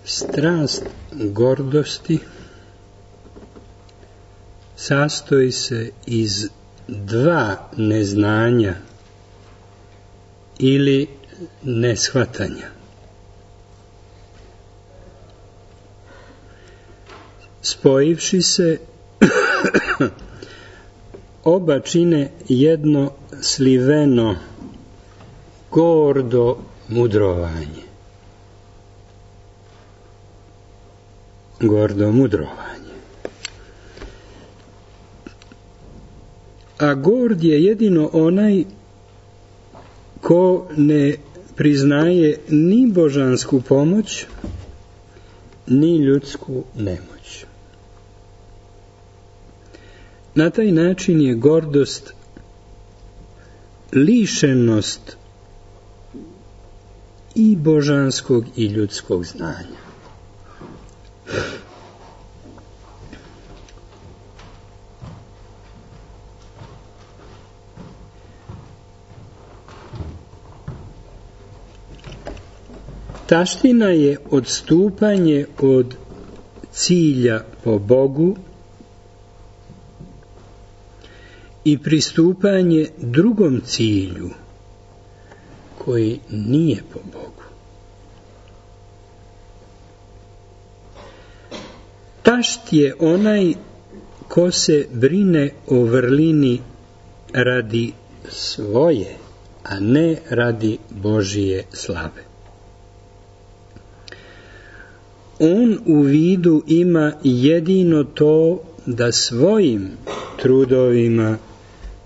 Strast gordosti sastoji se iz dva neznanja ili neshvatanja. Spojivši se, oba čine jedno sliveno, gordo mudrovanje. Gordo mudrovanje. A gord je jedino onaj ko ne priznaje ni božansku pomoć, ni ljudsku nemoć. Na taj način je gordost lišenost i božanskog i ljudskog znanja. Taština je odstupanje od cilja po Bogu i pristupanje drugom cilju koji nije po Bogu. Tašt je onaj ko se brine o vrlini radi svoje, a ne radi Božije slave. On u vidu ima jedino to da svojim trudovima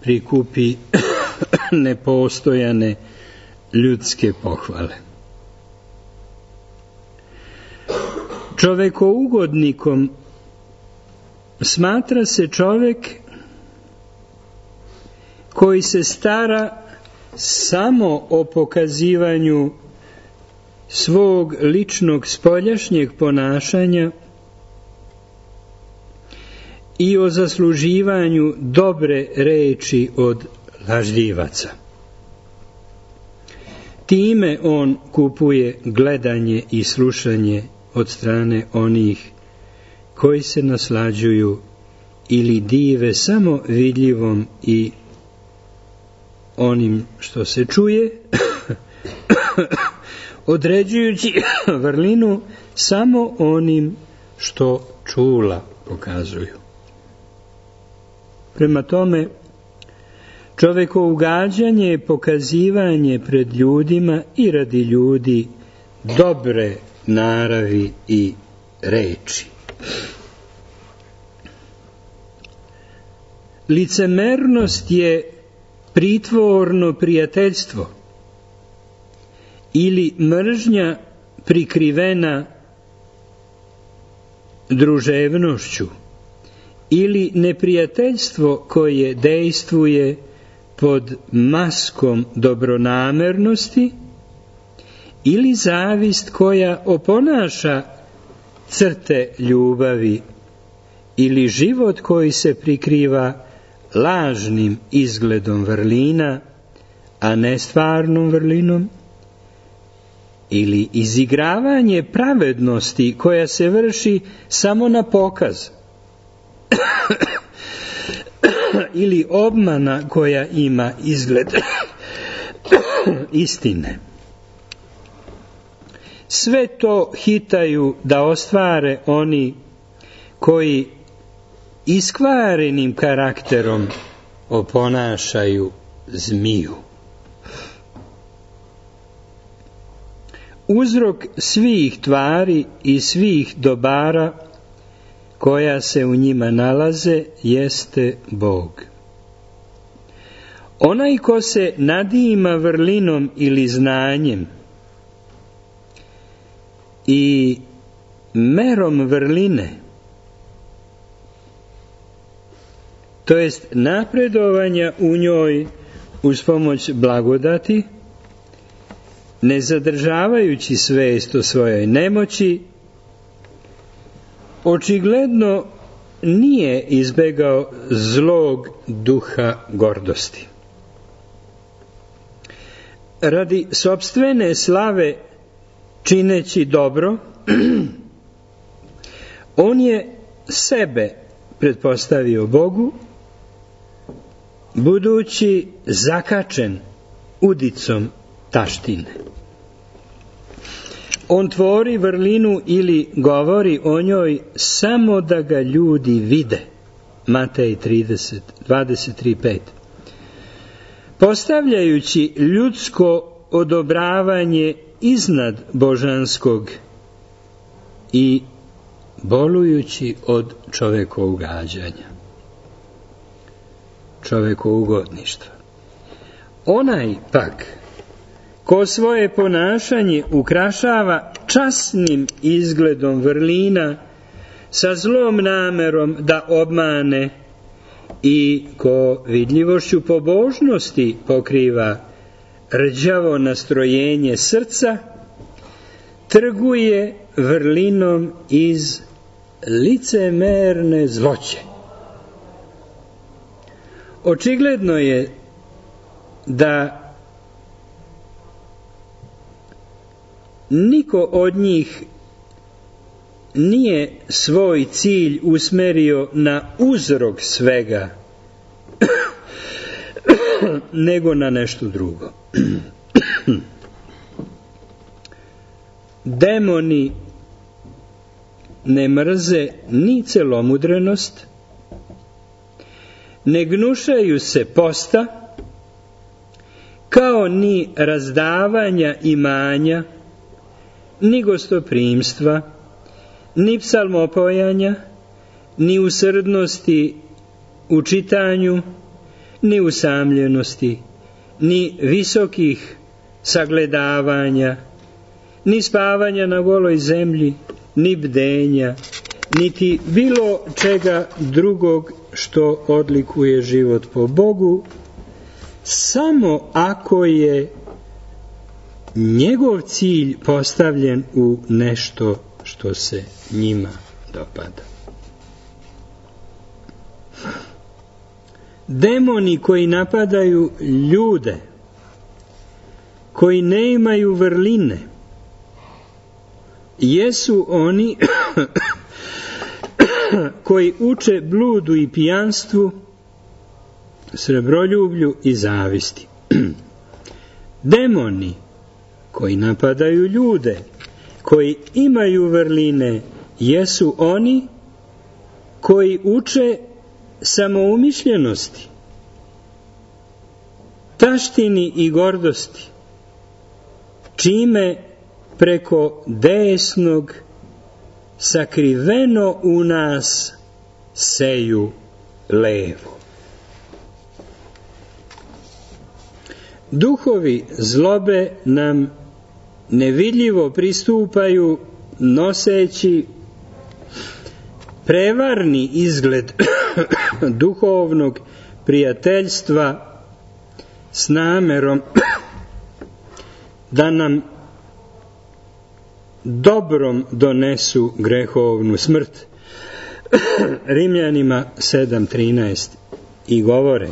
prikupi nepostojane ljudske pohvale. Čovekougodnikom smatra se čovek koji se stara samo o pokazivanju svog ličnog spoljašnjeg ponašanja i o zasluživanju dobre reči od lažljivaca. Time on kupuje gledanje i slušanje od strane onih koji se naslađuju ili dive samo vidljivom i onim što se čuje, određujući vrlinu samo onim što čula pokazuju. Prema tome, čovekougađanje je pokazivanje pred ljudima i radi ljudi dobre naravi i reči. Licemernost je pritvorno prijateljstvo ili mržnja prikrivena druževnošću ili neprijateljstvo koje dejstvuje pod maskom dobronamernosti ili zavist koja oponaša crte ljubavi ili život koji se prikriva lažnim izgledom vrlina, a ne stvarnom vrlinom, ili izigravanje pravednosti koja se vrši samo na pokaz, ili obmana koja ima izgled istine. Sve to hitaju da ostvare oni koji iskvarenim karakterom oponašaju zmiju. Uzrok svih tvari i svih dobara koja se u njima nalaze jeste Bog. Onaj ko se nadima vrlinom ili znanjem i merom vrline, to jest napredovanja u njoj uz pomoć blagodati, ne zadržavajući svest o svojoj nemoći, očigledno nije izbegao zlog duha gordosti. Radi sopstvene slave čineći dobro, On je sebe pretpostavio Bogu, budući zakačen udicom taštine. On tvori vrlinu ili govori o njoj samo da ga ljudi vide. Matej 23:5. Postavljajući ljudsko odobravanje iznad božanskog i bolujući od čovekovog gađanja, čovekougodništva. Onaj pak ko svoje ponašanje ukrašava časnim izgledom vrlina sa zlom namerom da obmane i ko vidljivošću pobožnosti pokriva rđavo nastrojenje srca, trguje vrlinom iz licemerne zloće. Očigledno je da niko od njih nije svoj cilj usmerio na uzrok svega, nego na nešto drugo. Demoni ne mrze ni celomudrenost, ne gnušaju se posta, kao ni razdavanja imanja, ni gostoprimstva, ni psalmopojanja, ni usrdnosti u čitanju, ni usamljenosti, ni visokih sagledavanja, ni spavanja na goloj zemlji, ni bdenja, niti bilo čega drugog što odlikuje život po Bogu, samo ako je njegov cilj postavljen u nešto što se njima dopada. Demoni koji napadaju ljude, koji ne imaju vrline, jesu oni koji uče bludu i pijanstvu, srebroljublju i zavisti. Demoni koji napadaju ljude, koji imaju vrline, jesu oni koji uče samoumišljenosti, taštini i gordosti, čime preko desnog sakriveno u nas seju levo. Duhovi zlobe nam nevidljivo pristupaju noseći prevarni izgled duhovnog prijateljstva s namerom da nam dobrom donesu grehovnu smrt. Rimljanima 7:13 i govore: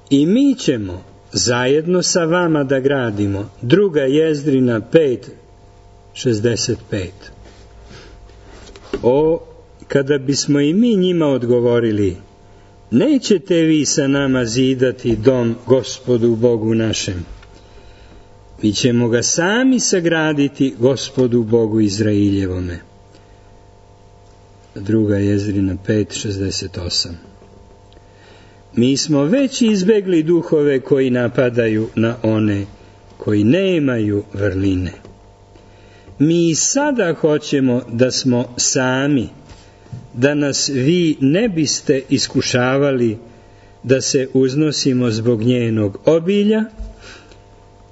i mi ćemo zajedno sa vama da gradimo. Druga Jezdrina 5:65. O, kada bismo i mi njima odgovorili: nećete vi sa nama zidati dom Gospodu Bogu našem, mi ćemo ga sami sagraditi Gospodu Bogu Izraeljevome. Druga Jezdrina 5:68. Mi smo već izbegli duhove koji napadaju na one koji nemaju vrline. Mi sada hoćemo da smo sami, da nas vi ne biste iskušavali da se uznosimo zbog njenog obilja,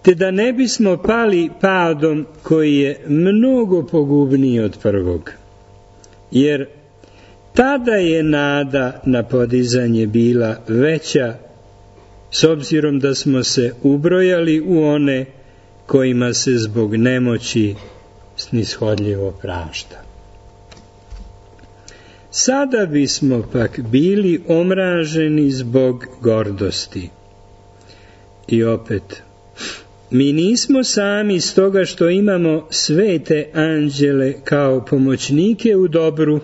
te da ne bismo pali padom koji je mnogo pogubniji od prvog. Jer tada je nada na podizanje bila veća, s obzirom da smo se ubrojali u one kojima se zbog nemoći snishodljivo prašta. Sada bismo pak bili omraženi zbog gordosti. I opet, mi nismo sami stoga što imamo svete anđele kao pomoćnike u dobru,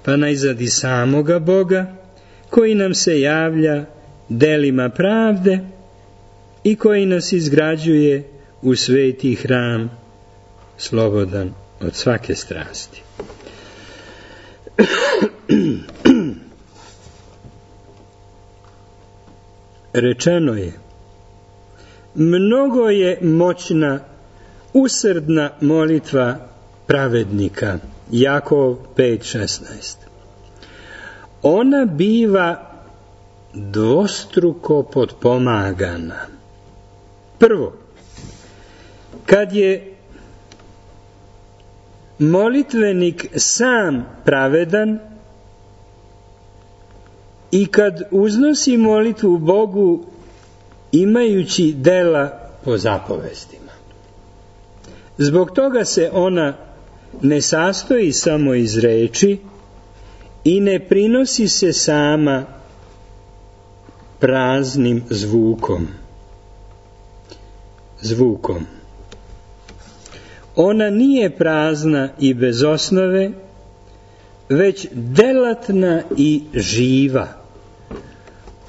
pa najzad i samoga Boga, koji nam se javlja delima pravde i koji nas izgrađuje u sveti hram, slobodan od svake strasti. Rečeno je, mnogo je moćna, usrdna molitva pravednika, Jakov 5:16. Ona biva dvostruko potpomagana. Prvo, kad je molitvenik sam pravedan i kad uznosi molitvu Bogu imajući dela po zapovestima. Zbog toga se ona ne sastoji samo iz reči i ne prinosi se sama praznim zvukom. Ona nije prazna i bez osnove, već delatna i živa,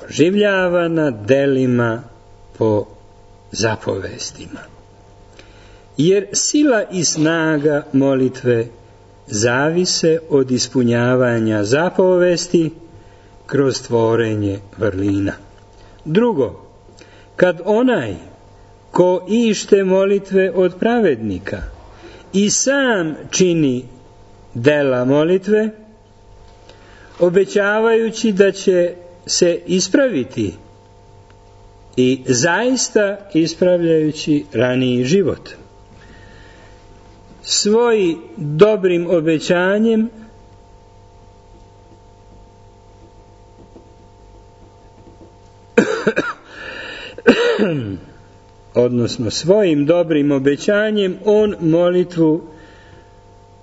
oživljavana delima po zapovestima. Jer sila i snaga molitve zavise od ispunjavanja zapovesti kroz tvorenje vrlina. Drugo, kad onaj ko ište molitve od pravednika i sam čini dela molitve, obećavajući da će se ispraviti i zaista ispravljajući raniji život. Svojim dobrim obećanjem svojim dobrim obećanjem on molitvu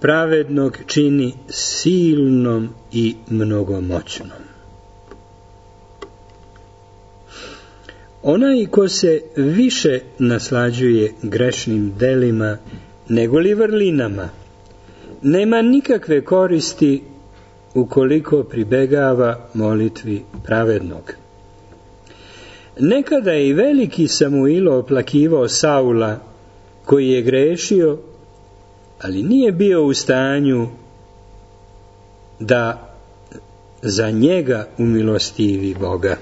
pravednog čini silnom i mnogomoćnom. Onaj ko se više naslađuje grešnim delima nego li vrlinama, nema nikakve koristi ukoliko pribegava molitvi pravednog. Nekada je i veliki Samuilo oplakivao Saula, koji je grešio, ali nije bio u stanju da za njega umilostivi Boga.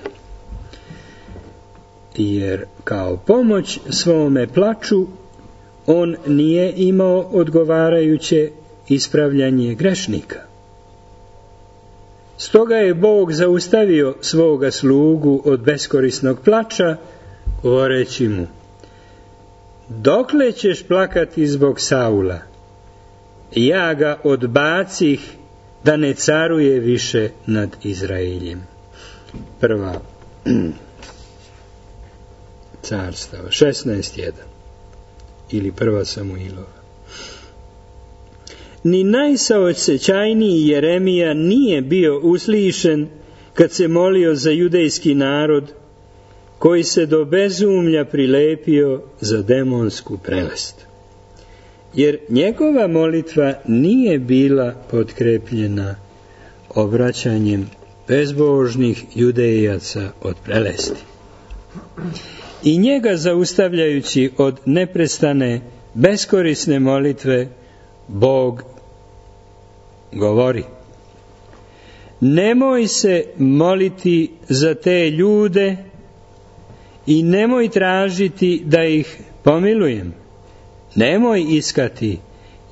Jer kao pomoć svome plaču on nije imao odgovarajuće ispravljanje grešnika. Stoga je Bog zaustavio svoga slugu od beskorisnog plača, govoreći mu: dokle ćeš plakati zbog Saula? Ja ga odbacih da ne caruje više nad Izraeljem. Prva carstava 16:1 ili prva Samuilova. Ni najsaosećajniji Jeremija nije bio uslišen kad se molio za judejski narod koji se do bezumlja prilepio za demonsku prelest. Jer njegova molitva nije bila potkrepljena obraćanjem bezbožnih judejaca od prelesti. I njega zaustavljajući od neprestane beskorisne molitve, Bog govori: nemoj se moliti za te ljude i nemoj tražiti da ih pomilujem. Nemoj iskati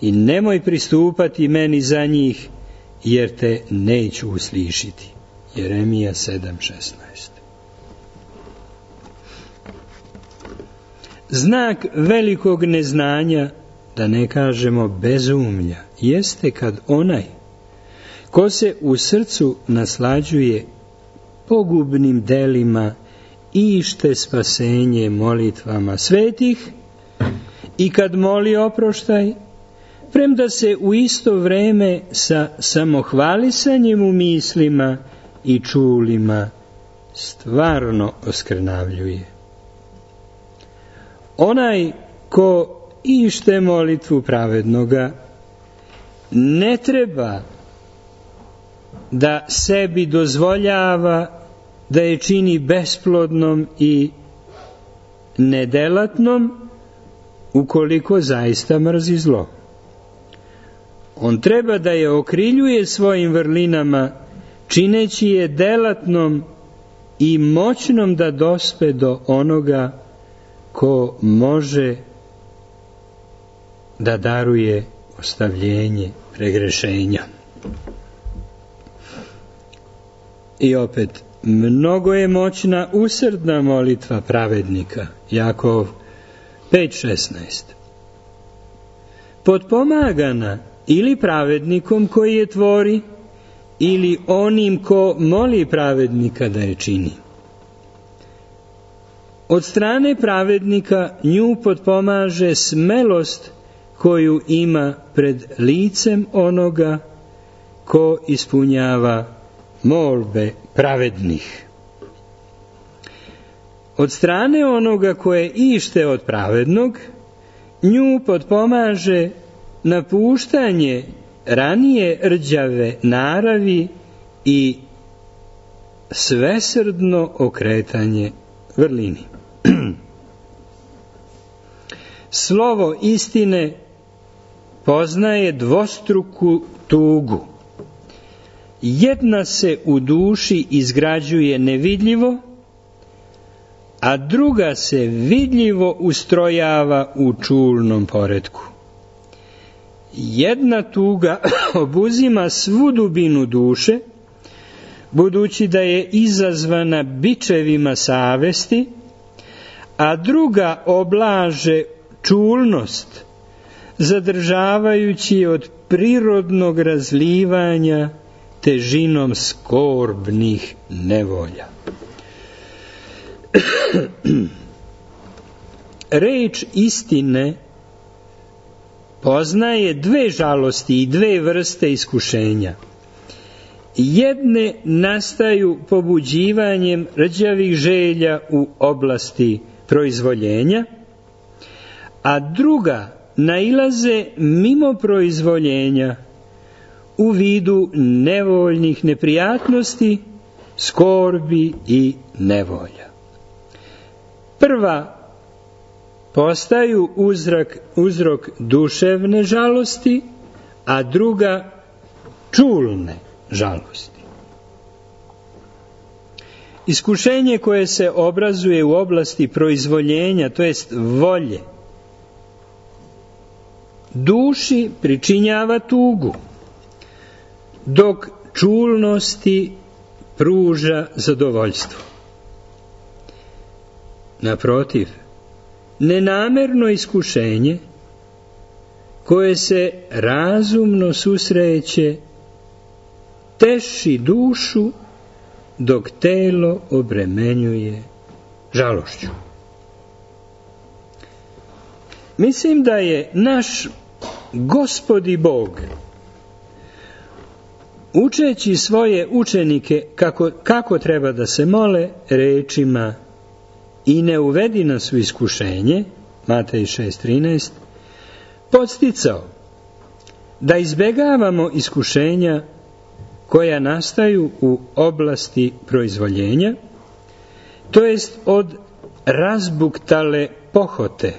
i nemoj pristupati meni za njih, jer te neću uslišiti. Jeremija 7:16. Znak velikog neznanja, da ne kažemo bezumlja, jeste kad onaj ko se u srcu naslađuje pogubnim delima ište spasenje molitvama svetih i kad moli oproštaj, premda se u isto vreme sa samohvalisanjem u mislima i čulima stvarno oskrnavljuje. Onaj ko ište molitvu pravednoga ne treba da sebi dozvoljava da je čini besplodnom i nedelatnom ukoliko zaista mrzi zlo. On treba da je okriljuje svojim vrlinama, čineći je delatnom i moćnom da dospe do onoga ko može da daruje ostavljenje pregrešenja. I opet, mnogo je moćna usrdna molitva pravednika. Jakov 5.16. Potpomagana ili pravednikom koji je tvori, ili onim ko moli pravednika da je čini. Od strane pravednika nju potpomaže smelost koju ima pred licem onoga ko ispunjava molbe pravednih. Od strane onoga koje ište od pravednog, nju potpomaže napuštanje ranije rđave naravi i svesrdno okretanje vrlini. Slovo istine poznaje dvostruku tugu. Jedna se u duši izgrađuje nevidljivo, a druga se vidljivo ustrojava u čulnom poretku. Jedna tuga obuzima svu dubinu duše, budući da je izazvana bičevima savesti, a druga oblaže čulnost, zadržavajući od prirodnog razlivanja težinom skorbnih nevolja. Reč istine poznaje dve žalosti i dve vrste iskušenja. Jedne nastaju pobuđivanjem rđavih želja u oblasti proizvoljenja, a druga nailaze mimo proizvoljenja u vidu nevoljnih neprijatnosti, skorbi i nevolja. Prva postaju uzrok duševne žalosti, a druga čulne žalosti. Iskušenje koje se obrazuje u oblasti proizvoljenja, to jest volje, duši pričinjava tugu, dok čulnosti pruža zadovoljstvo. Naprotiv, nenamerno iskušenje koje se razumno susreće teši dušu dok telo obremenjuje žalošću. Mislim da je naš Gospod i Bog, učeći svoje učenike kako treba da se mole rečima i ne uvedi nas u iskušenje, Matej 6.13, podsticao da izbegavamo iskušenja koja nastaju u oblasti proizvoljenja, to jest od razbuktale pohote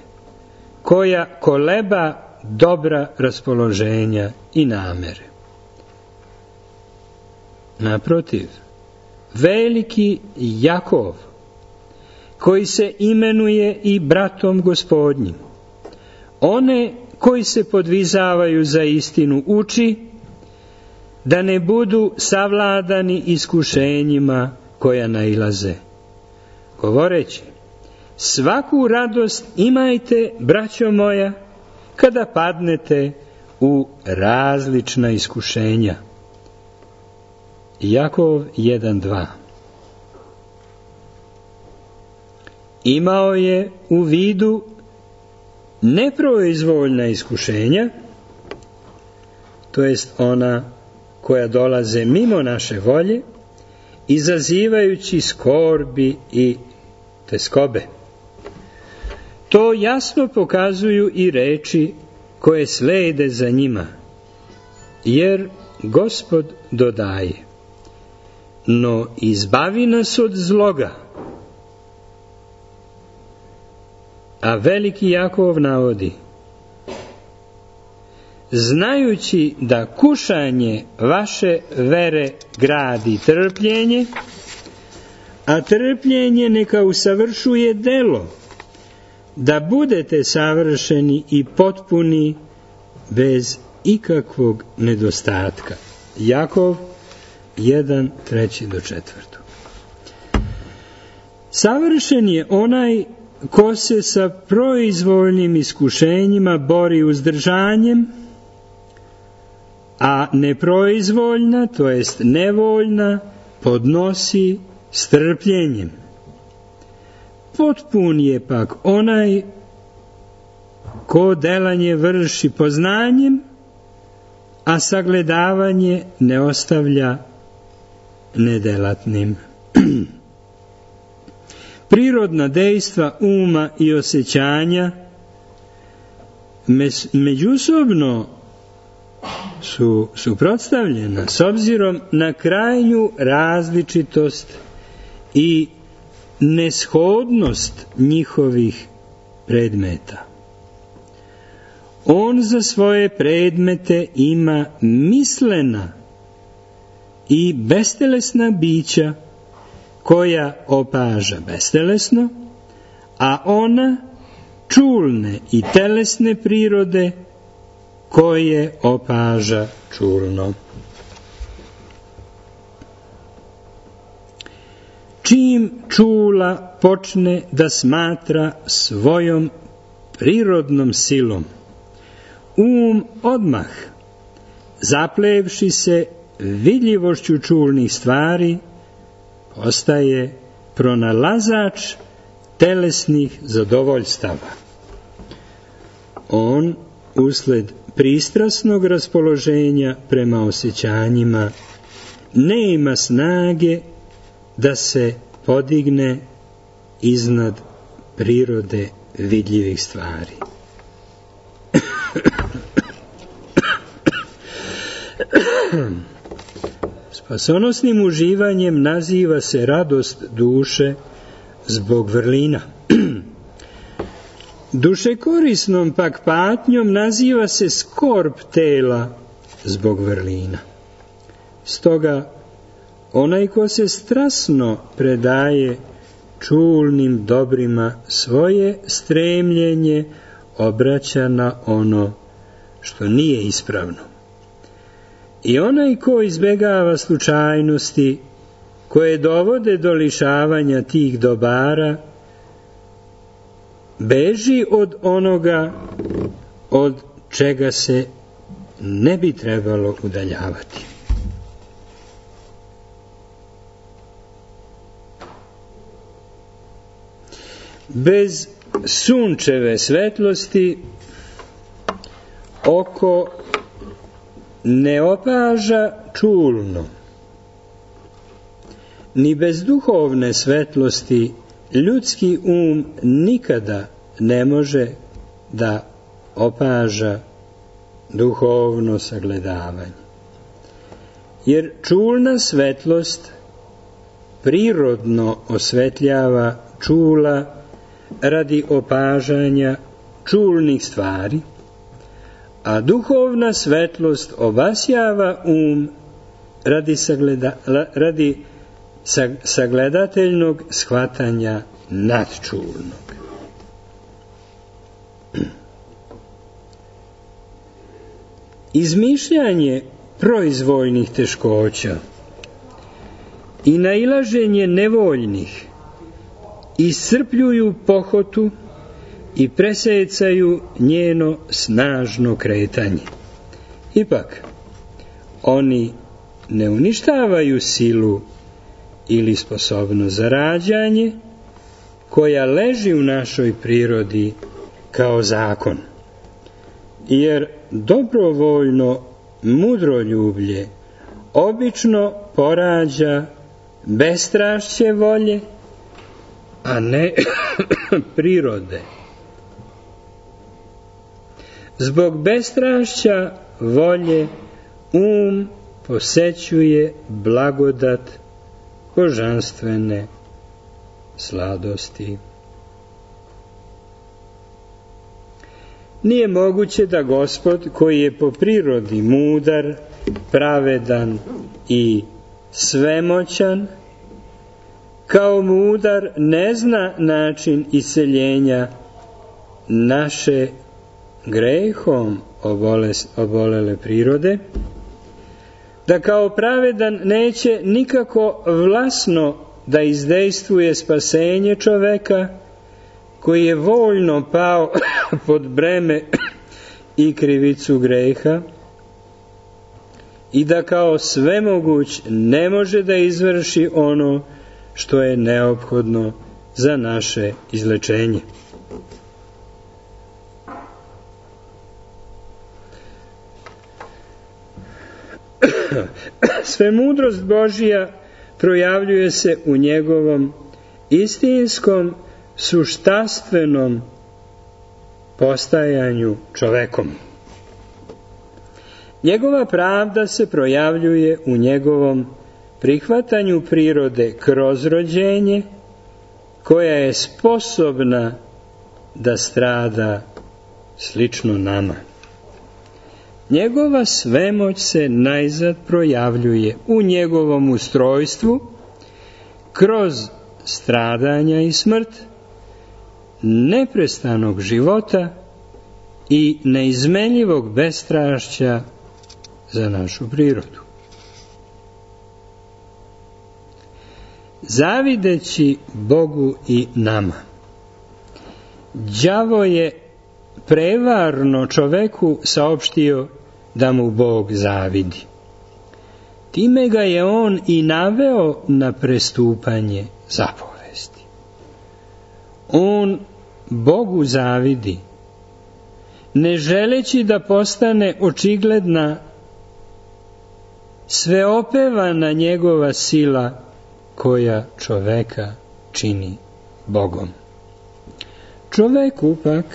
koja koleba dobra raspoloženja i namere. Naprotiv, veliki Jakov, koji se imenuje i bratom Gospodnjim, one koji se podvizavaju za istinu uči da ne budu savladani iskušenjima koja nailaze, govoreći: svaku radost imajte, braćo moja, kada padnete u različna iskušenja. Jakov 1.2. Imao je u vidu neproizvoljna iskušenja, to jest ona koja dolaze mimo naše volje, izazivajući skorbi i teskobe. To jasno pokazuju i reči koje slede za njima, jer Gospod dodaje: no izbavi nas od zloga. A veliki Jakov navodi: znajući da kušanje vaše vere gradi trpljenje, a trpljenje neka usavršuje delo, da budete savršeni i potpuni bez ikakvog nedostatka. Jakov 1:3-4. Savršen je onaj ko se sa proizvoljnim iskušenjima bori uzdržanjem, a neproizvoljna, to jest nevoljna, podnosi strpljenjem. Potpun je pak onaj ko delanje vrši poznanjem, a sagledavanje ne ostavlja nedelatnim. Prirodna dejstva uma i osjećanja međusobno su suprotstavljena s obzirom na krajnju različitost i neshodnost njihovih predmeta. On za svoje predmete ima mislena i bestelesna bića koja opaža bestelesno, a ona čulne i telesne prirode koje opaža čulno. Čim čula počne da smatra svojom prirodnom silom, odmah, zaplevši se vidljivošću čulnih stvari, postaje pronalazač telesnih zadovoljstava. On, usled pristrasnog raspoloženja prema osjećanjima, ne ima snage da se podigne iznad prirode vidljivih stvari. Spasonosnim uživanjem naziva se radost duše zbog vrlina. Dušekorisnom pak patnjom naziva se skorb tela zbog vrlina. Stoga, onaj ko se strasno predaje čulnim dobrima, svoje stremljenje obraća na ono što nije ispravno. I onaj ko izbegava slučajnosti koje dovode do lišavanja tih dobara, beži od onoga od čega se ne bi trebalo udaljavati. Bez sunčeve svetlosti oko ne opaža čulno, ni bez duhovne svetlosti ljudski nikada ne može da opaža duhovno sagledavanje. Jer čulna svetlost prirodno osvetljava čula radi opažanja čulnih stvari, a duhovna svetlost obasjava radi sagledateljnog shvatanja nadčulnog. Izmišljanje proizvoljnih teškoća i nailaženje nevoljnih iscrpljuju pohotu i presecaju njeno snažno kretanje. Ipak, oni ne uništavaju silu ili sposobnost za rađanje koja leži u našoj prirodi kao zakon, jer dobrovoljno mudroljublje obično porađa bestrašće volje, a ne prirode Zbog bestrašća volje posećuje blagodat božanstvene sladosti. Nije moguće da Gospod, koji je po prirodi mudar, pravedan i svemoćan, kao mudar ne zna način iseljenja naše grehom obolele prirode, da kao pravedan neće nikako vlasno da izdejstvuje spasenje čoveka koji je voljno pao pod breme i krivicu greha i da kao svemoguć ne može da izvrši ono što je neophodno za naše izlečenje. Svemudrost Božija projavljuje se u njegovom istinskom suštanstvenom postajanju čovekom. Njegova pravda se projavljuje u njegovom prihvatanju prirode kroz rođenje, koja je sposobna da strada slično nama. Njegova svemoć se najzad projavljuje u njegovom ustrojstvu kroz stradanja i smrt, neprestanog života i neizmenljivog bestrašća za našu prirodu. Zavideći Bogu i nama, đavo je prevarno čoveku saopštio da mu Bog zavidi. Time ga je on i naveo na prestupanje zapovesti. On Bogu zavidi, ne želeći da postane očigledna sveopevana njegova sila koja čoveka čini Bogom. Čoveku pak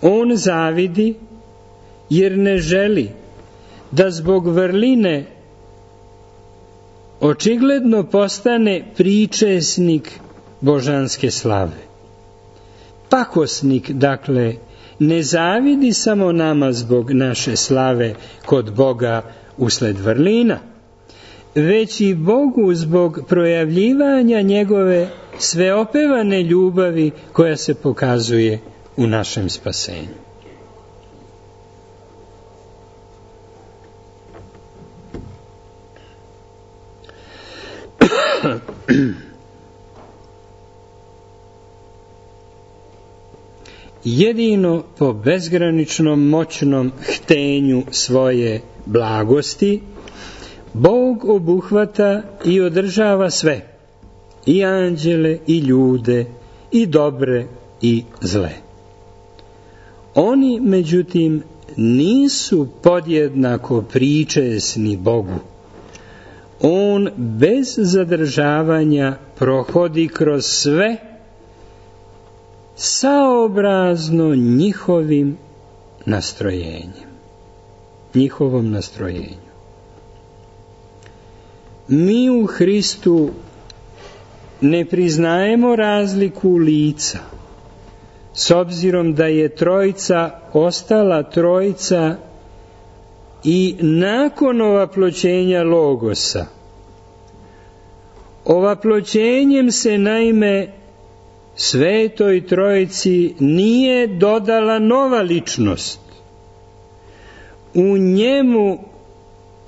on zavidi jer ne želi da zbog vrline očigledno postane pričesnik božanske slave. Pakosnik, dakle, ne zavidi samo nama zbog naše slave kod Boga usled vrlina, već i Bogu zbog projavljivanja njegove sveopevane ljubavi koja se pokazuje u našem spasenju. Jedino po bezgraničnom moćnom htenju svoje blagosti Bog obuhvata i održava sve, i anđele, i ljude, i dobre, i zle. Oni, međutim, nisu podjednako pričesni Bogu. On bez zadržavanja prohodi kroz sve saobrazno njihovom nastrojenju. Mi u Hristu ne priznajemo razliku lica, s obzirom da je trojica ostala trojica i nakon ovaploćenja Logosa. Ovaploćenjem se naime Svetoj Trojici nije dodala nova ličnost. U njemu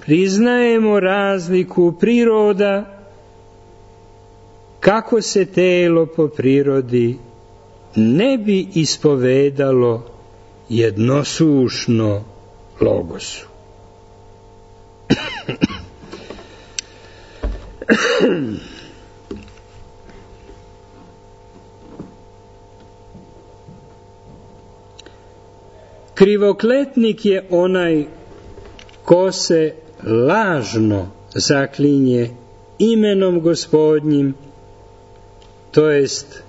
priznajemo razliku priroda, kako se telo po prirodi ne bi ispovedalo jednosušno Logosu. Krivokletnik je onaj ko se lažno zaklinje imenom Gospodnjim, to jest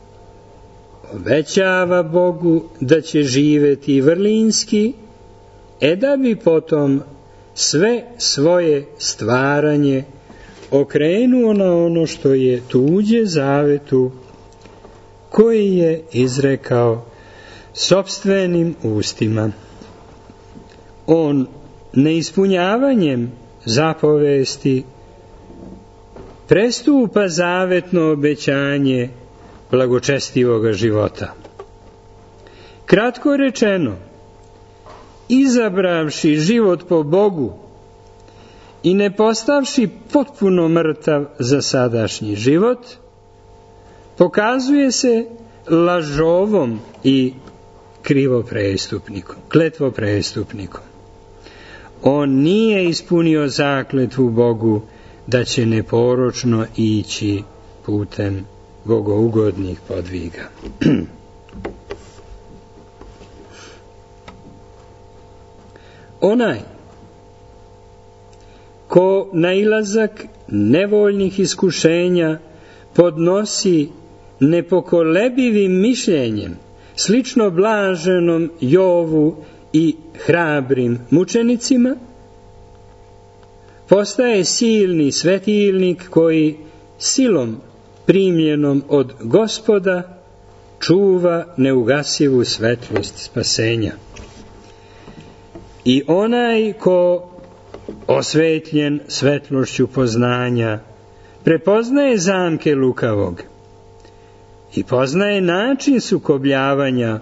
obećava Bogu da će živeti vrlinski da bi potom sve svoje stvaranje okrenuo na ono što je tuđe zavetu koji je izrekao sopstvenim ustima. On neispunjavanjem zapovesti prestupa zavetno obećanje blagočestivoga života. Kratko rečeno, izabravši život po Bogu i ne postavši potpuno mrtav za sadašnji život, pokazuje lažovom i kletvoprestupnikom. On nije ispunio zakletvu Bogu da će neporočno ići putem bogougodnih podviga. Onaj ko nailazak nevoljnih iskušenja podnosi nepokolebivim mišljenjem, slično blaženom Jovu i hrabrim mučenicima, postaje silni svetilnik koji silom primljenom od Gospoda čuva neugasivu svetlost spasenja. I onaj ko, osvetljen svetlošću poznanja, prepoznaje zamke lukavog i poznaje način sukobljavanja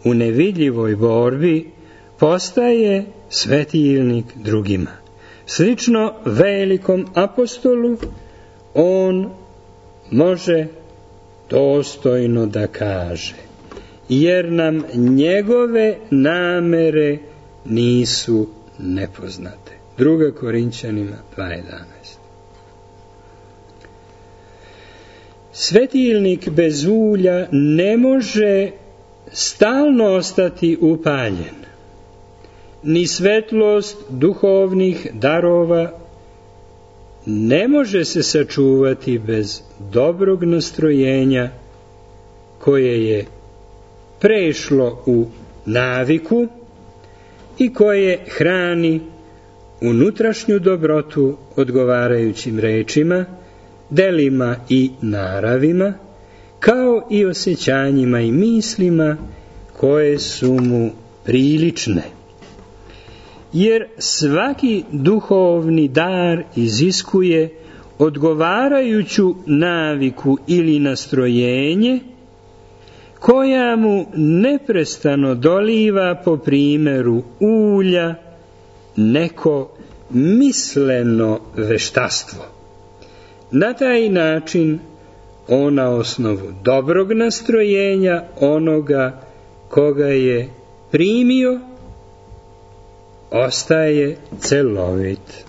u nevidljivoj borbi, postaje svetilnik drugima. Slično velikom apostolu, on može dostojno da kaže: jer nam njegove namere nisu nepoznate. 2. Korinćanima 2.11. Svetilnik bez ulja ne može stalno ostati upaljen, ni svetlost duhovnih darova ne može se sačuvati bez dobrog nastrojenja koje je prešlo u naviku i koje hrani unutrašnju dobrotu odgovarajućim rečima, delima i naravima, kao i osjećanjima i mislima koje su mu prilične. Jer svaki duhovni dar iziskuje odgovarajuću naviku ili nastrojenje koja mu neprestano doliva po primjeru ulja neko misleno veštastvo. Na taj način on na osnovu dobrog nastrojenja onoga koga je primio ostaje celovit.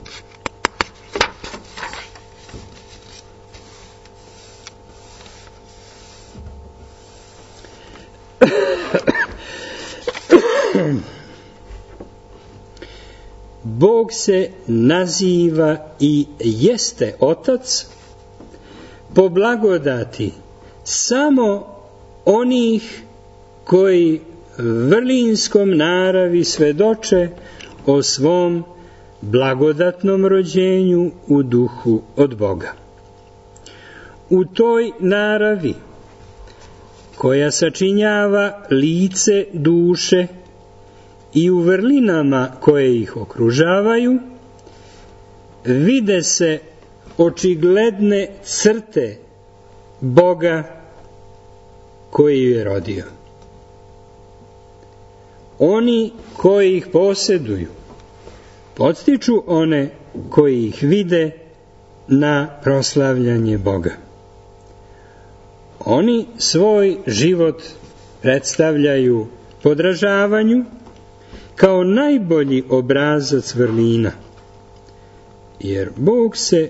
Bog se naziva i jeste Otac po blagodati samo onih koji vrlinskom naravi svedoče o svom blagodatnom rođenju u duhu od Boga. U toj naravi, koja sačinjava lice duše i u vrlinama koje ih okružavaju, vide se očigledne crte Boga koji je rodio. Oni koji ih posjeduju podstiču one koji ih vide na proslavljanje Boga. Oni svoj život predstavljaju podražavanju kao najbolji obrazac vrlina, jer Bog se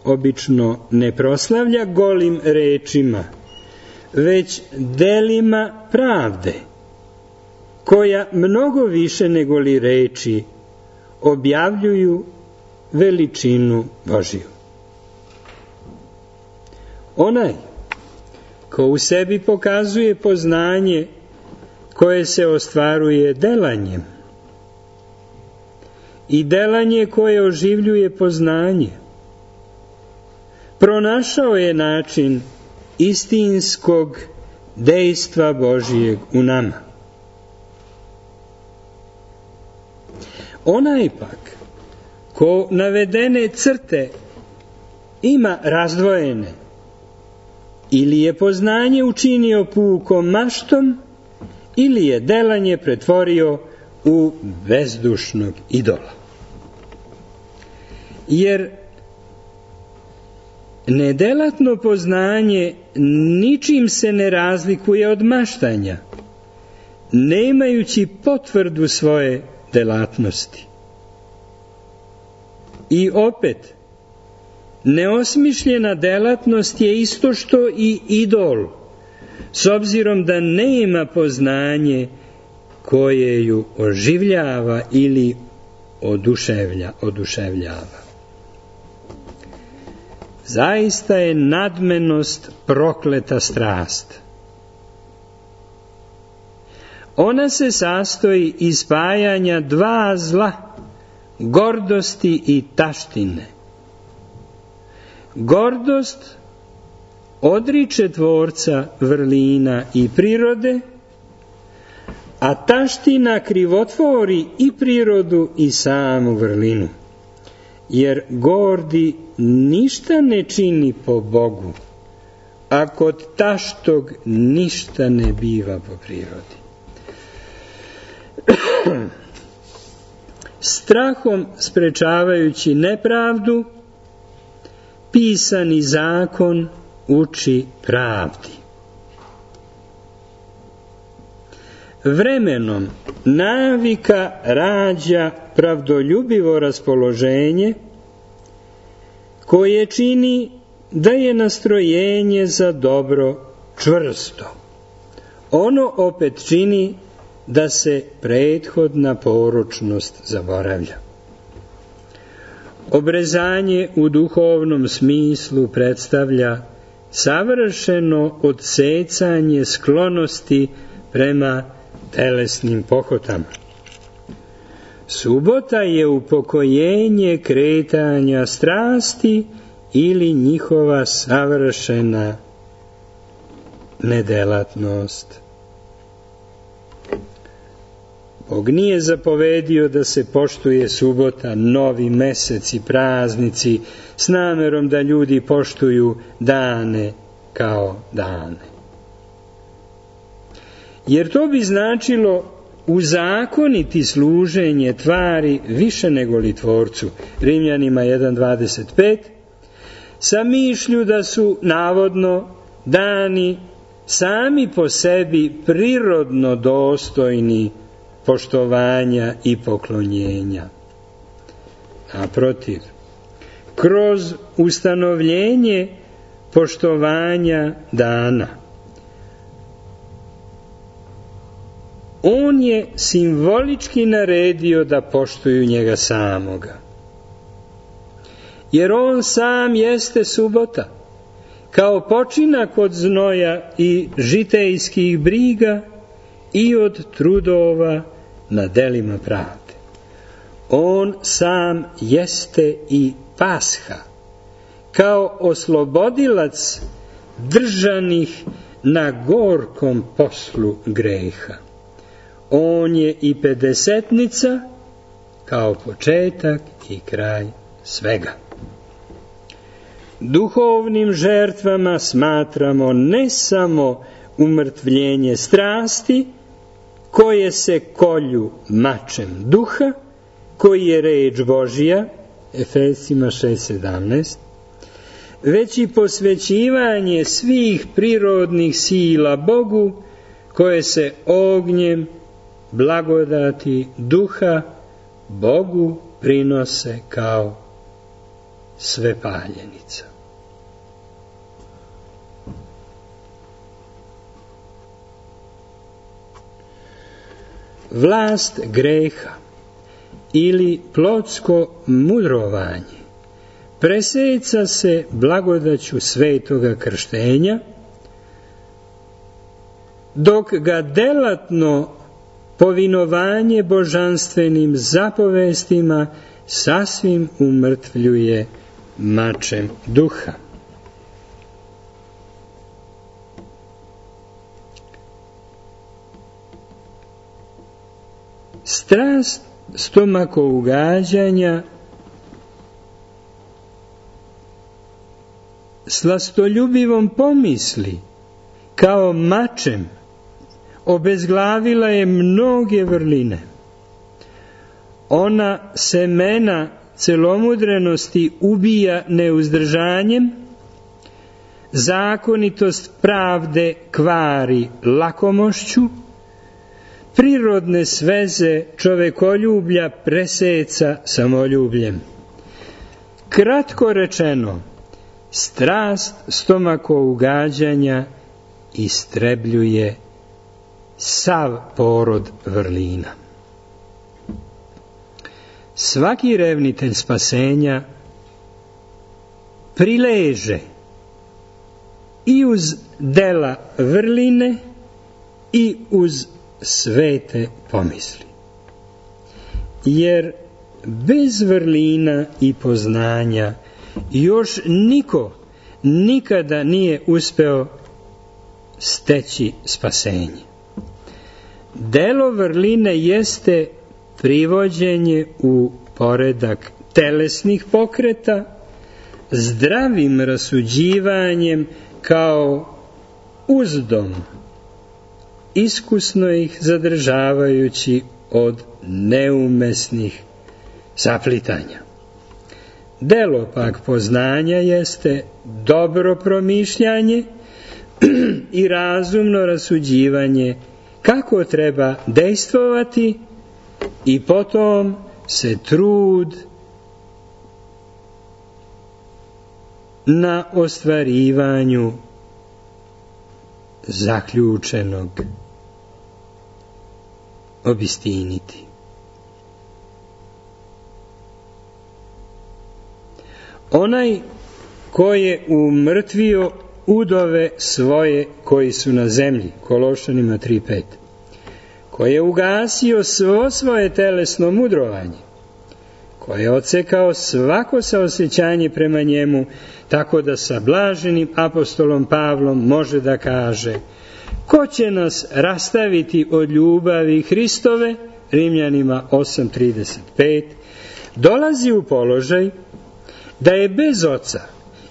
obično ne proslavlja golim rečima, već delima pravde, koja mnogo više nego li reči objavljuju veličinu Božiju. Onaj ko u sebi pokazuje poznanje koje se ostvaruje delanjem, i delanje koje oživljuje poznanje. Pronašao je način istinskog dejstva Božijeg u nama. Onaj pak ko navedene crte ima razdvojene, ili je poznanje učinio pukom maštom, ili je delanje pretvorio u bezdušnog idola. Jer nedelatno poznanje ničim se ne razlikuje od maštanja, nemajući potvrdu svoje delatnosti. I opet, neosmišljena delatnost je isto što i idol, s obzirom da nema poznanje koje ju oživljava ili oduševljava. Zaista je nadmenost prokleta strast. Ona se sastoji iz spajanja dva zla, gordosti i taštine. Gordost odriče tvorca vrlina i prirode, a taština krivotvori i prirodu i samu vrlinu. Jer gordi ništa ne čini po Bogu, a kod taštog ništa ne biva po prirodi. Strahom sprečavajući nepravdu, pisani zakon uči pravdi. Vremenom navika rađa pravdoljubivo raspoloženje koje čini da je nastrojenje za dobro čvrsto. Ono opet čini da se prethodna poročnost zaboravlja. Obrezanje u duhovnom smislu predstavlja savršeno odsecanje sklonosti prema telesnim pohotama. Subota je upokojenje kretanja strasti ili njihova savršena nedelatnost. Bog nije zapovedio da se poštuje subota, novi mesec i praznici s namerom da ljudi poštuju dane kao dane. Jer to bi značilo uzakoniti služenje tvari više nego li tvorcu. Rimljanima 1.25, sa mišlju da su navodno dani sami po sebi prirodno dostojni poštovanja i poklonjenja. Naprotiv, kroz ustanovljenje poštovanja dana, on je simbolički naredio da poštuju njega samoga. Jer on sam jeste subota, kao počinak od znoja i žitejskih briga i od trudova na delima pravde. On sam jeste i Pasha, kao oslobodilac držanih na gorkom poslu greha. On je i pedesetnica, kao početak i kraj svega. Duhovnim žrtvama smatramo ne samo umrtvljenje strasti, koje se kolju mačem duha, koji je reč Božija, Efesima 6.17, već i posvećivanje svih prirodnih sila Bogu, koje se ognjem blagodati duha Bogu prinose kao svepaljenica. Vlast greha ili plotsko mudrovanje preseca se blagodaću svetoga krštenja, dok ga delatno povinovanje božanstvenim zapovestima sasvim umrtvljuje mačem duha. Strast stomakougađanja slastoljubivom pomisli kao mačem obezglavila je mnoge vrline. Ona semena celomudrenosti ubija neuzdržanjem, zakonitost pravde kvari lakomošću, prirodne sveze čovekoljublja preseca samoljubljem. Kratko rečeno, strast stomakougađanja istrebljuje sav porod vrlina. Svaki revnitelj spasenja prileže i uz dela vrline i uz svete pomisli. Jer bez vrlina i poznanja još niko nikada nije uspeo steći spasenje. Delo vrline jeste privođenje u poredak telesnih pokreta, zdravim rasuđivanjem kao uzdom, iskusno ih zadržavajući od neumesnih saplitanja. Delo pak poznanja jeste dobro promišljanje i razumno rasuđivanje kako treba dejstvovati i potom se trud na ostvarivanju zaključenog obistiniti. Onaj ko je umrtvio udove svoje koji su na zemlji, Kološanima 3:5, ko je ugasio svo svoje telesno mudrovanje, ko je odsekao svako saosjećanje prema njemu, tako da sa blaženim apostolom Pavlom može da kaže: ko će nas rastaviti od ljubavi Hristove, Rimljanima 8:35, dolazi u položaj da je bez oca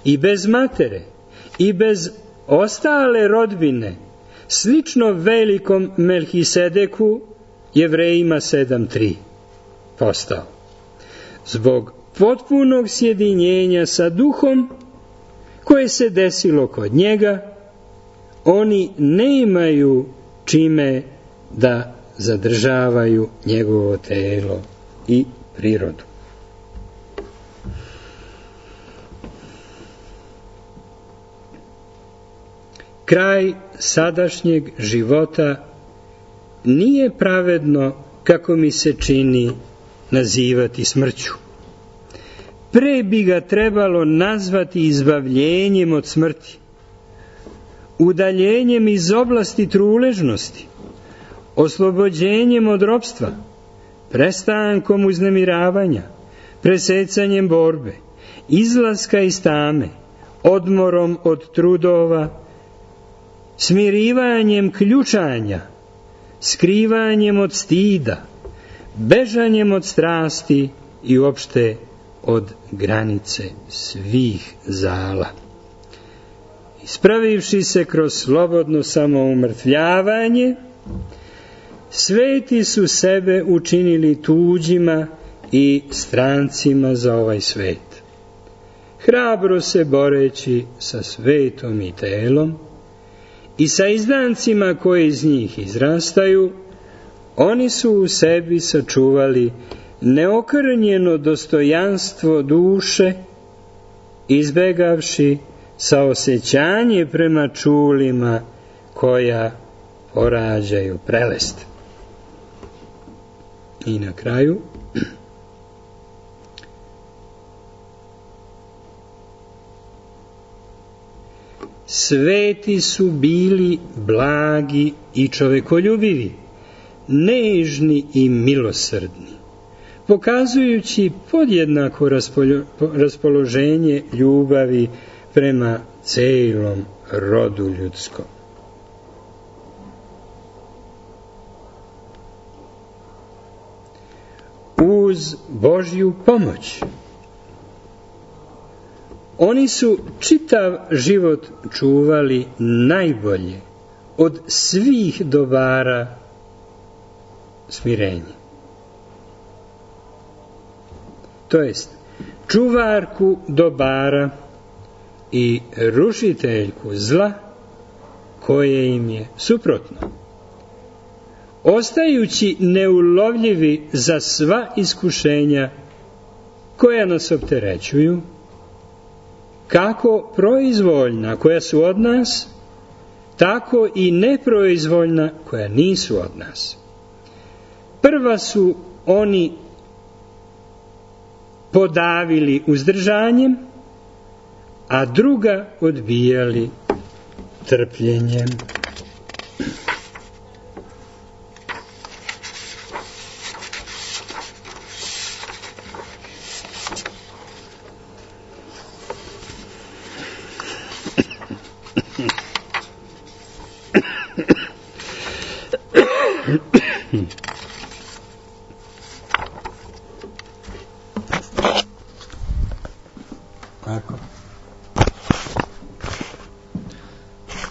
i bez matere i bez ostale rodbine slično velikom Melhisedeku, Jevrejima 7:3, postao. Zbog potpunog sjedinjenja sa duhom koje se desilo kod njega, oni ne imaju čime da zadržavaju njegovo telo i prirodu. Kraj sadašnjeg života nije pravedno, kako mi se čini, nazivati smrću. Pre bi ga trebalo nazvati izbavljenjem od smrti, udaljenjem iz oblasti truležnosti, oslobođenjem od ropstva, prestankom uznemiravanja, presecanjem borbe, izlaska iz tame, odmorom od trudova, smirivanjem ključanja, skrivanjem od stida, bežanjem od strasti i uopšte od granice svih zala. Ispravivši se kroz slobodno samoumrtvljavanje, sveti su sebe učinili tuđima i strancima za ovaj svet. Hrabro se boreći sa svetom i telom i sa izdancima koji iz njih izrastaju, oni su u sebi sačuvali neokrnjeno dostojanstvo duše, izbegavši saosjećanje prema čulima koja porađaju prelest. I na kraju, sveti su bili blagi i čovekoljubivi, nežni i milosrdni, pokazujući podjednako raspoloženje ljubavi prema celom rodu ljudskom. Uz Božju pomoć oni su čitav život čuvali najbolje od svih dobara smirenje. To jest, čuvarku dobara i rušiteljku zla koje im je suprotno. Ostajući neulovljivi za sva iskušenja koja nas opterećuju, kako proizvoljna koja su od nas, tako i neproizvoljna koja nisu od nas. Prva su oni podavili uzdržanjem, a druga odbijali trpljenjem.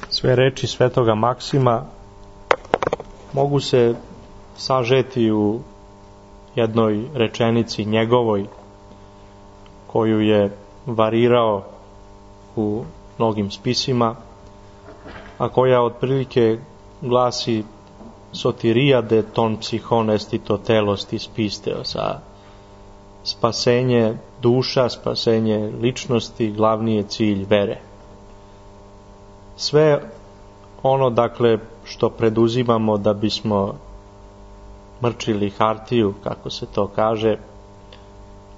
Sve reči svetoga Maksima mogu se sažeti u jednoj rečenici njegovoj, koju je varirao u mnogim spisima, a koja otprilike glasi: sotiria de ton psichon estito telos tis pisteo, sa spasenje duša, spasenje ličnosti, glavni je cilj vere. Sve ono, dakle, što preduzimamo da bismo mrčili hartiju, kako se to kaže,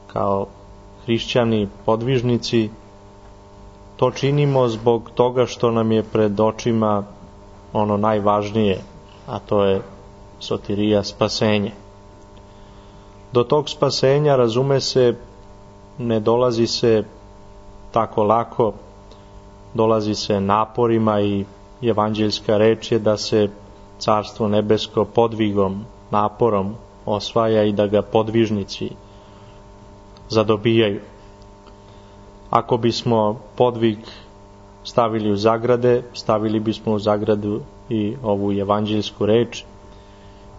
kao hrišćani podvižnici, to činimo zbog toga što nam je pred očima ono najvažnije, a to je sotirija, spasenje. Do tog spasenja, razume se, ne dolazi se tako lako, dolazi se naporima i evanđeljska reč je da se Carstvo nebesko podvigom, naporom osvaja i da ga podvižnici zadobijaju. Ako bismo podvig stavili u zagrade, stavili bismo u zagradu i ovu evanđeljsku reč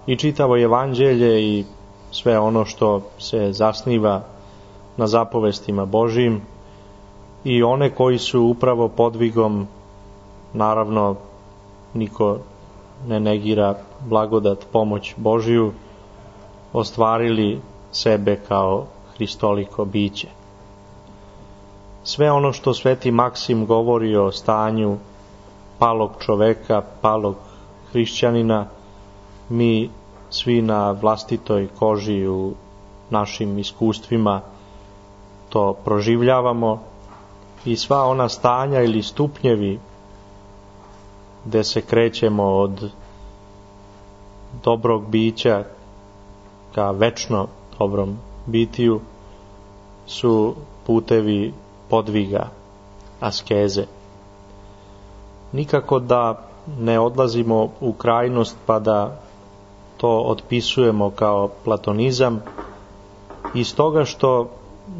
i čitavo evanđelje i sve ono što se zasniva na zapovestima Božjim, i one koji su upravo podvigom, naravno niko ne negira blagodat, pomoć Božju, ostvarili sebe kao hristoliko biće. Sve ono što sveti Maksim govori o stanju palog čoveka, palog hrišćanina, mi svi na vlastitoj koži u našim iskustvima to proživljavamo, i sva ona stanja ili stupnjevi gde se krećemo od dobrog bića ka večno dobrom bitiju su putevi podviga, askeze. Nikako da ne odlazimo u krajnost pa da to otpisujemo kao platonizam, iz toga što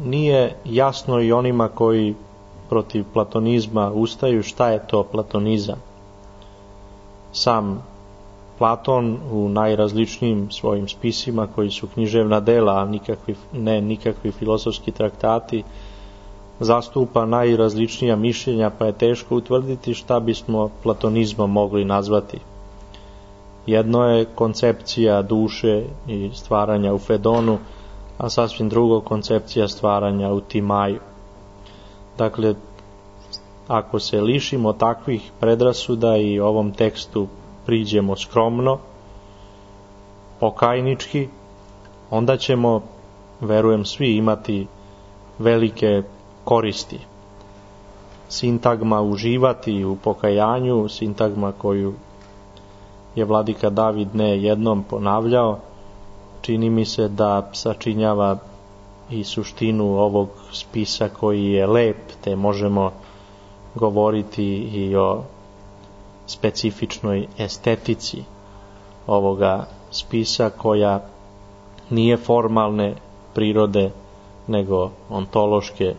nije jasno i onima koji protiv platonizma ustaju šta je to platonizam. Sam Platon u najrazličnijim svojim spisima, koji su književna dela, a nikakvi filozofski traktati, zastupa najrazličnija mišljenja, pa je teško utvrditi šta bismo platonizmom mogli nazvati. Jedno je koncepcija duše i stvaranja u Fedonu, a sasvim drugo koncepcija stvaranja u Timaju. Dakle, ako se lišimo takvih predrasuda i ovom tekstu priđemo skromno, pokajnički, onda ćemo, verujem, svi imati velike koristi. Sintagma uživati u pokajanju, sintagma koju je vladika David ne jednom ponavljao, čini mi se da sačinjava i suštinu ovog spisa koji je lep, te možemo govoriti i o specifičnoj estetici ovoga spisa, koja nije formalne prirode nego ontološke,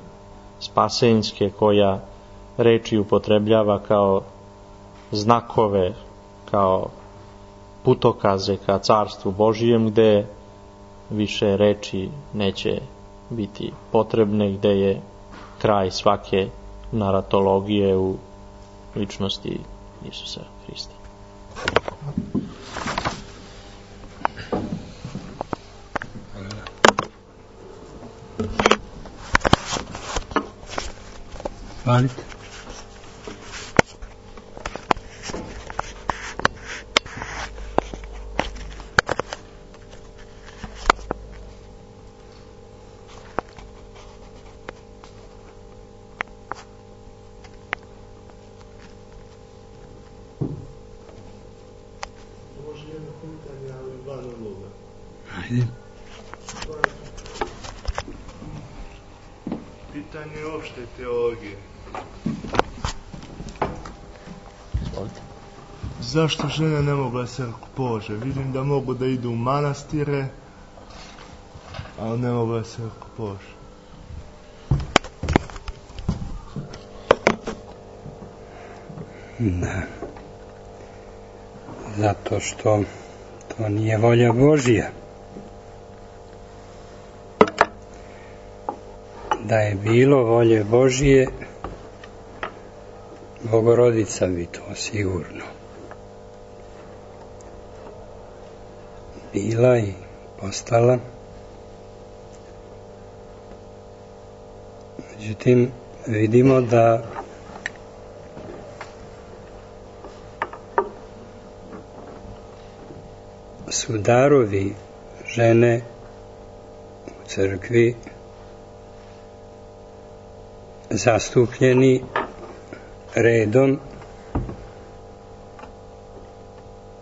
spasenjske, koja reči upotrebljava kao znakove, kao putokaze ka Carstvu Božijem, gde više reči neće biti potrebne, gde je kraj svake naratologije u ličnosti Isusa Hrista. Hvalite. Ajde. Pitanje opšte teologije. Zašto žene ne mogu da se rukopolože? Vidim da mogu da idu u manastire, ali ne mogu da se rukopolože. Da. Zato što to nije volja Božja. Da je bilo volje Božje, Bogorodica bi to sigurno bila i postala. Međutim, vidimo da su darovi žene u crkvi zastupljeni redom,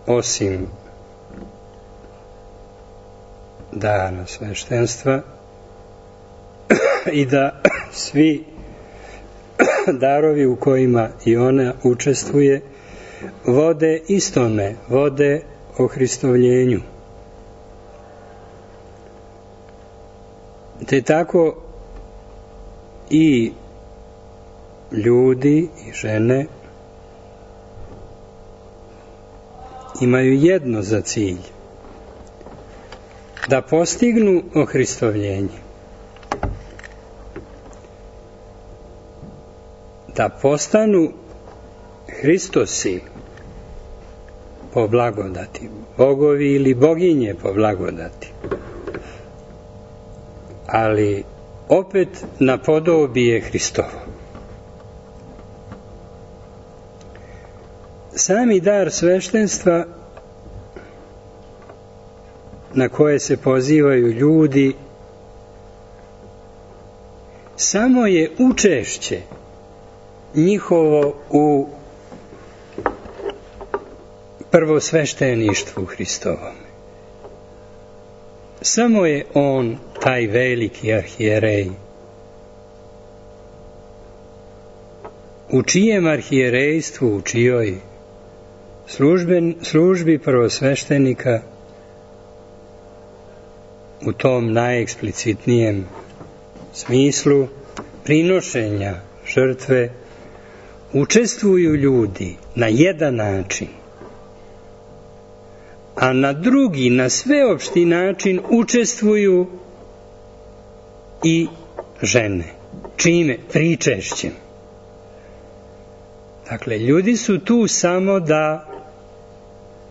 osim dana sveštenstva, i da svi darovi u kojima i ona učestvuje vode istome, vode o Hristovljenju. Te tako i ljudi i žene imaju jedno za cilj: da postignu ohristovljenje, da postanu Hristosi po blagodati, bogovi ili boginje po blagodati, ali opet na podobije Hristovo. Sami dar sveštenstva na koje se pozivaju ljudi samo je učešće njihovo u prvosvešteništvu Hristovom. Samo je on taj veliki arhijerej, u čijem arhijerejstvu, u čijoj službi prvosveštenika, u tom najeksplicitnijem smislu prinošenja žrtve, učestvuju ljudi na jedan način, a na drugi, na sveopšti način učestvuju i žene. Čime? Pričešćem. Dakle, ljudi su tu samo da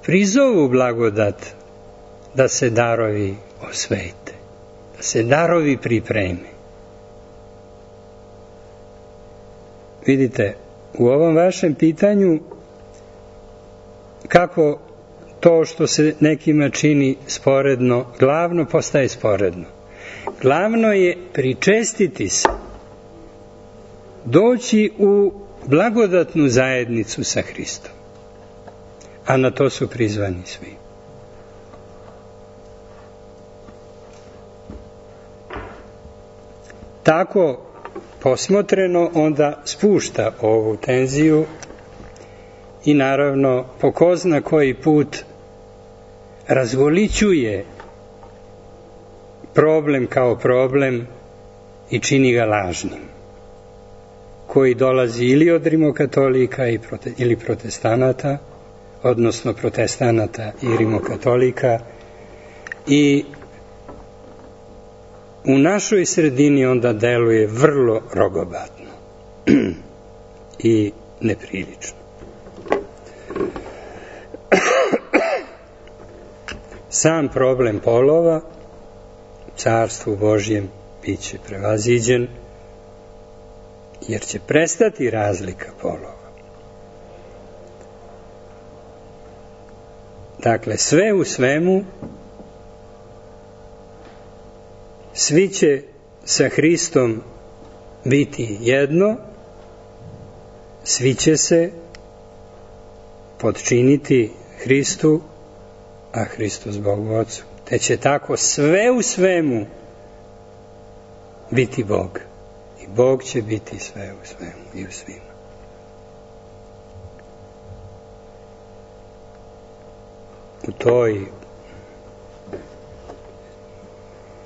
prizovu blagodat, da se darovi osvete, da se darovi pripreme. Vidite, u ovom vašem pitanju, kako to što se nekima čini sporedno, glavno postaje sporedno. Glavno je pričestiti se, doći u blagodatnu zajednicu sa Hristom. a na to su prizvani svi. Tako posmotreno onda spušta ovu tenziju i naravno po ko zna koji put razgolićuje problem kao problem i čini ga lažnim, koji dolazi ili od rimokatolika ili protestanata, odnosno protestanata i rimokatolika, i u našoj sredini onda deluje vrlo rogobatno i neprilično. Sam problem polova Carstvu Božjem bit će prevaziđen, jer će prestati razlika polova. Dakle, sve u svemu, svi će sa Hristom biti jedno, svi će se potčiniti Hristu, a Hristos Bogu Ocu. Te će tako sve u svemu biti Bog. I Bog će biti sve u svemu i u svima. U toj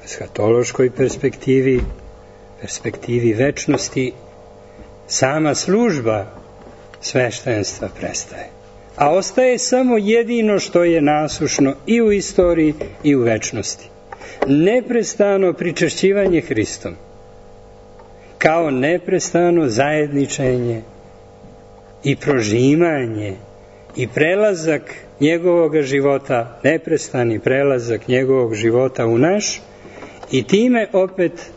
eshatološkoj perspektivi, perspektivi večnosti, sama služba sveštenstva prestaje. A ostaje samo jedino što je nasušno i u istoriji i u večnosti. Neprestano pričešćivanje Hristom, kao neprestano zajedničenje i prožimanje i prelazak njegovog života, neprestani prelazak njegovog života u naš, i time opet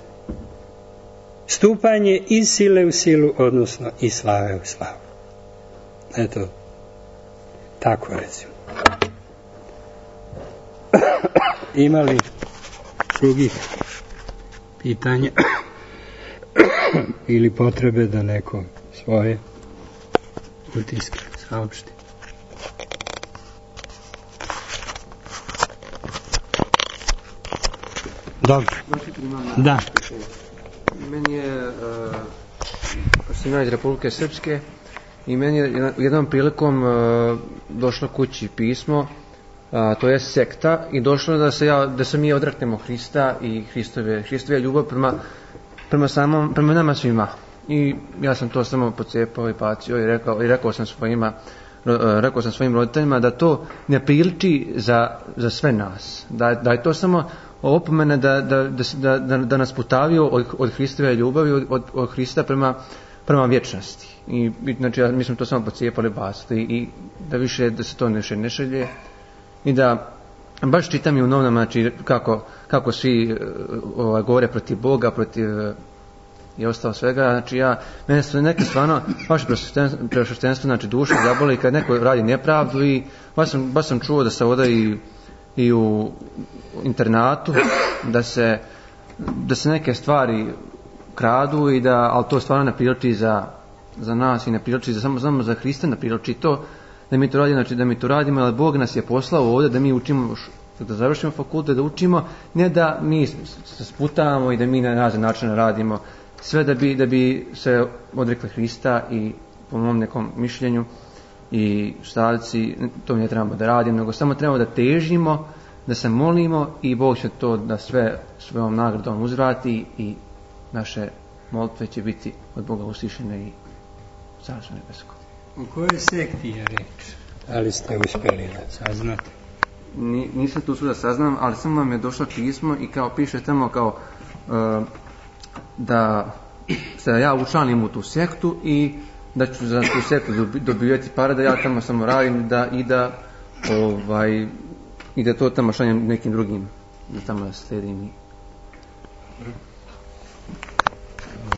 stupanje iz sile u silu, odnosno iz slave u slavu. Eto, tako recimo. Ima li drugih pitanja ili potrebe da neko svoje utiske saopšti? Dobro. Da. Meni je sam ja iz Republike Srpske i meni je jednom prilikom došlo kući pismo, to je sekta, i došlo da se mi odreknemo Hrista i Hristove ljubav prema nama svima. I ja sam to samo pocijepao i bacio i rekao sam svojim roditeljima da to ne priliči za sve nas, da je to samo opomena da nas putavio od Hristove ljubavi, od Hrista prema vječnosti. I znači mi smo to samo pocijepali, bacili, i da više da se to ne šalje, i da baš čitam i u novinama, znači kako svi govore protiv Boga, protiv i ostalo svega. Znači mene su neke stvarno baš prešuštenstvo, znači duša zaboli kad neko radi nepravdu, i baš sam čuo da se oda i u internatu da se neke stvari kradu, i ali to stvarno ne priliči za nas i ne priliči samo za Hrista, ne priliči to da mi to radimo, znači da mi to radimo, ali Bog nas je poslao ovdje da mi učimo, da završimo fakultet, da učimo, ne da mi se sputavamo i da mi na razne načine radimo, sve da bi se odrekli Hrista, i po mom nekom mišljenju i stavci, to ne trebamo da radimo, nego samo trebamo da težimo, da se molimo, i Bog će to da svojom nagradom uzvrati, i naše molitve će biti od Boga uslišene i Carstvo nebesko. U kojoj sekti je reč? Ali ste uspjeli da saznate? Nisam tu da saznam, ali samo vam je došlo pismo i kao piše tamo kao da se ja učlanim u tu sektu i da ću za tu sektu dobivati pare, da ja tamo samo radim i da to tamo šaljem nekim drugim, da tamo sledim.